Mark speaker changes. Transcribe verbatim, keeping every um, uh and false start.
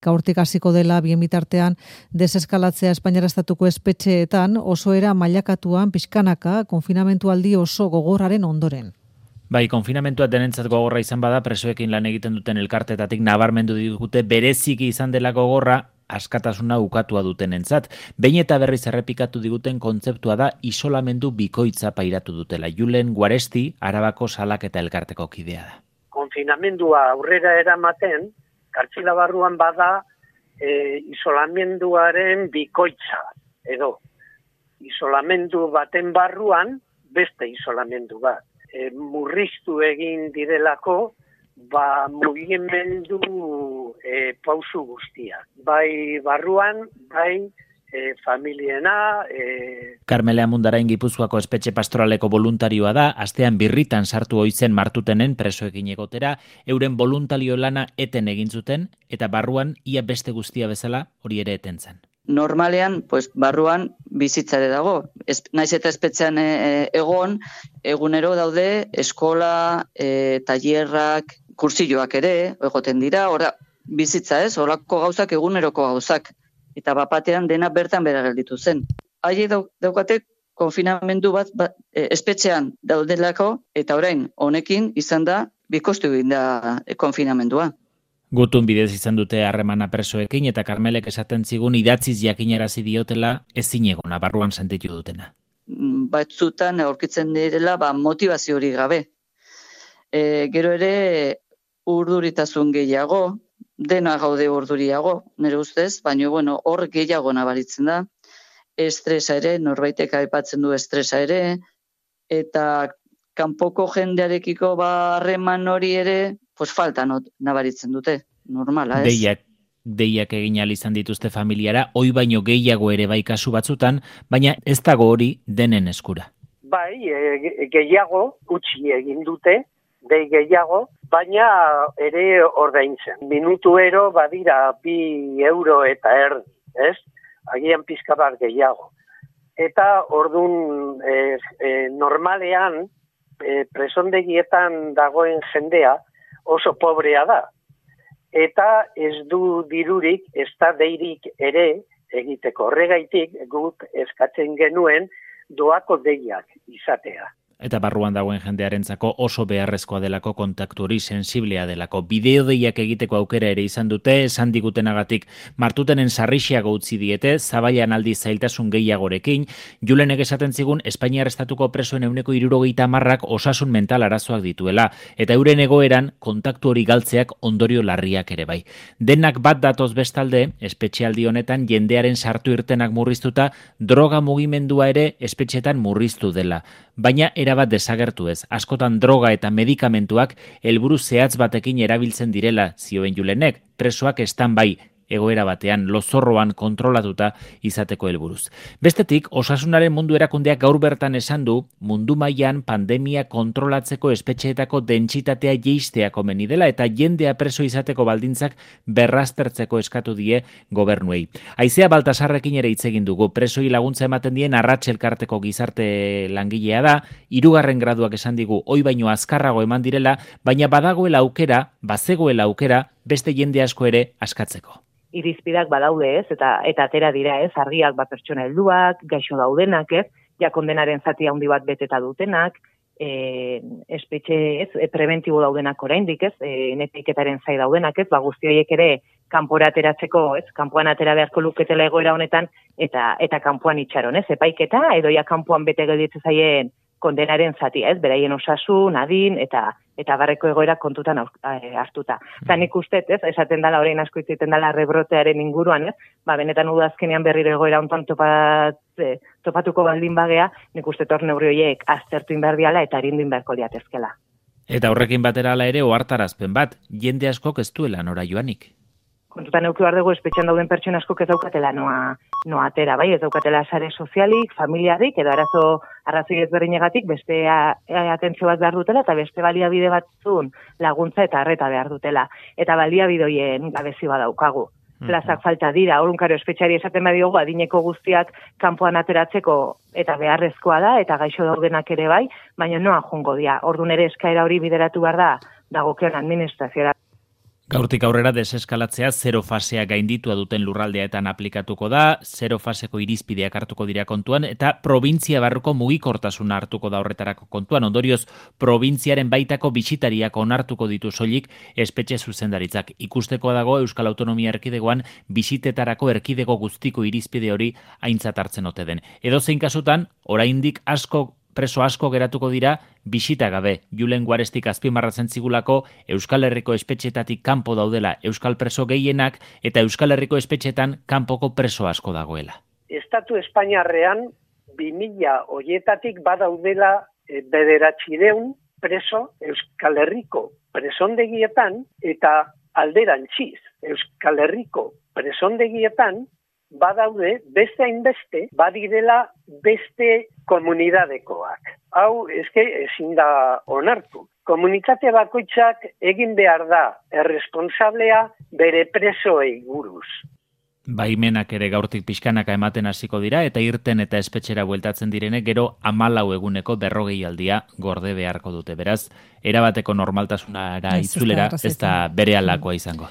Speaker 1: Gaurtik hasiko dela bien bitartean deseskalatzea Espainiar estatuko espetxeetan oso era mailakatuan pixkanaka konfinamentu aldi oso gogorraren ondoren.
Speaker 2: Bai, konfinamentua denentzat gogorra izan bada, presoekin lan egiten duten elkartetatik nabarmendu digute bereziki izan dela gogorra askatasuna ukatua dutenentzat. Behin eta berriz errepikatu diguten kontzeptua da isolamendu bikoitza pairatu dutela. Julen Guaresti, Arabako Salaketa elkarteko kidea da.
Speaker 3: Konfinamendua aurrera eramaten, kartzila barruan bada e, isolamenduaren bikoitza, edo isolamendu baten barruan beste isolamendu bat. E, murriztu egin direlako, ba mugimendu e, pausu guztia. Bai barruan, bai e, familiena... E...
Speaker 2: Karmele Amundarain Gipuzkoako espetxe pastoraleko voluntarioa da, astean birritan sartu oizen martutenen presoekin egotera, euren voluntario lana eten egin zuten, eta barruan ia beste guztia bezala hori ere eten zen.
Speaker 4: Normalean, pues, barruan bizitzare dago. Ez, naiz eta espetxean e, egon, egunero daude eskola, e, tailerrak, kursilloak ere, egoten dira, ora, bizitza ez, horako gauzak eguneroko gauzak. Eta bapatean dena bertan bera gelditu zen. Haie daukate konfinamendu bat, bat e, espetxean daudelako, eta orain honekin izan da bikoiztu egin da e, konfinamendua.
Speaker 2: Gutun bidez izan dute harremana presoekin eta Karmelek esaten zigun idatziz jakinarazi diotela ezin egona barruan sentitu dutena.
Speaker 4: Batzutan aurkitzen direla ba, motivazio hori gabe. E, gero ere urduritasun gehiago, dena gaude urduriago, nire ustez, baina bueno, hor gehiago nabaritzen da. Estresa ere, norbaitek aipatzen du estresa ere, eta kanpoko jendearekiko harreman hori ere, pues falta not, nabaritzen dute, normala, ez?
Speaker 2: Deiak, deiak egin ahal izan dituzte familiara, oi baino gehiago ere bai kasu batzutan, baina ez dago hori denen eskura.
Speaker 3: Bai, e, gehiago, utzi egin dute, dei gehiago, baina ere ordaintzen. Minutuero badira bi euro eta erdi, ez? Agian pizka bat gehiago. Eta ordun e, e, normalean e, presondegietan dagoen jendea oso pobrea da. Eta ez du dirurik, ez da deirik ere egiteko. Horregaitik guk eskatzen genuen doako deiak izatea.
Speaker 2: Eta barruan dagoen jendearentzako oso beharrezkoa delako kontaktu hori sensiblea delako. Bideo deiak egiteko aukera ere izan dute, esan digutenagatik martutenen sarrixeago utzi diete, zabaian aldi zailtasun gehiagorekin. Julenek esaten zigun Espainiar estatuko presoen ehuneko hirurogeita hamarrak osasun mental arazoak dituela, eta euren egoeran kontaktu hori galtzeak ondorio larriak ere bai. Denak bat datoz bestalde, espetxealdi honetan jendearen sartu irtenak murriztuta, droga mugimendua ere espetxetan murriztu dela. Baina erabat desagertu ez. Askotan droga eta medikamentuak helburu zehatz batekin erabiltzen direla, zioen Julenek, presoak stand-by egoera batean, lozorroan kontrolatuta izateko helburuz. Bestetik, osasunaren mundu erakundeak gaur bertan esan du, mundu mailan pandemia kontrolatzeko espetxeetako dentsitatea jeistea komeni dela eta jendea preso izateko baldintzak berraztertzeko eskatu die gobernuei. Aizea Baltasarrekin ere hitz egin dugu, presoi laguntza ematen dien Arratx elkarteko gizarte langilea da, hirugarren graduak esan digu, oi baino azkarrago eman direla, baina badagoela aukera, bazegoela aukera, beste jende asko ere askatzeko.
Speaker 5: Irizpidak badaude ez, eta eta atera dira ez, argiak bat pertsona helduak, gaixo daudenak ez, ja kondenaren zati handi bat beteta dutenak, e, espetxe ez, e, preventibo daudenak oraindik ez, e, netiketaren zai daudenak ez, ba guzti horiek ere kanpora ateratzeko ez, kanpoan atera beharko luketela egoera honetan, eta eta kanpoan itxaron ez, epaiketa, edo ja kanpoan bete gelditzen zaien kondenaren zatia, ez, beraien osasun, adin, eta eta barreko egoera kontutan hartuta. Eta nik uste, ez, esaten dela, orain asko izaten dela rebrotearen inguruan, ez, ba, benetan udazkenean berriro egoera ontan topat, eh, topatuko baldin bagea, nik uste tor neurri horiek aztertu inberdiala eta arindu inberko liatezkela.
Speaker 2: Eta horrekin batera ala ere ohartarazpen bat, jende askok ez duela nora joanik.
Speaker 5: Kontutan euki behar dugu espetxean dauden pertsona askok ez daukatela noa, noa atera, bai, ez daukatela sare sozialik, familiarik, edo arazo arrazoi ezberdinegatik beste atentzio bat behar dutela eta beste baliabide batzun laguntza eta arreta behar dutela. Eta baliabidoien gabezi badaukagu. Plazak falta dira, orunkaro espetxari esaten badiogu adineko guztiak kanpoan ateratzeko eta beharrezkoa da, eta gaixo daudenak ere bai, baina noa jungo dira. Ordun ere eskaera hori bideratu behar da, dagokion administrazioa.
Speaker 2: Gaurtik aurrera deseskalatzea zero fasea gainditua duten lurraldeetan aplikatuko da, zero faseko irizpideak hartuko dira kontuan, eta provintzia barruko mugikortasuna hartuko da horretarako kontuan. Ondorioz, probintziaren baitako bisitariak onartuko ditu soilik espetxe zuzendaritzak. Ikusteko dago Euskal Autonomia Erkidegoan bisitetarako erkidego guztiko irizpide hori aintzat hartzen ote den. Edozein kasutan, oraindik asko preso asko geratuko dira bisita gabe. Julen Guarestik azpimarratzen zigulako Euskal Herriko espetxetatik kanpo daudela euskal preso gehienak eta Euskal Herriko espetxetan kanpoko preso asko dagoela.
Speaker 3: Estatu Espainiarrean bi mila hoietatik badaudela e, bederatziehun preso Euskal Herriko presondegietan eta alderantziz Euskal Herriko presondegietan badaude beste hainbeste badirela beste komunidadekoak. Hau eske ezin da onartu. Komunitate bakoitzak egin behar da erresponsablea bere presoei buruz.
Speaker 2: Baimenak ere gaurtik pixkanaka ematen hasiko dira eta irten eta espetxera bueltatzen direnek gero hamalau eguneko berrogei aldia gorde beharko dute. Beraz, erabateko normaltasunara itzulera ez da berealakoa izango.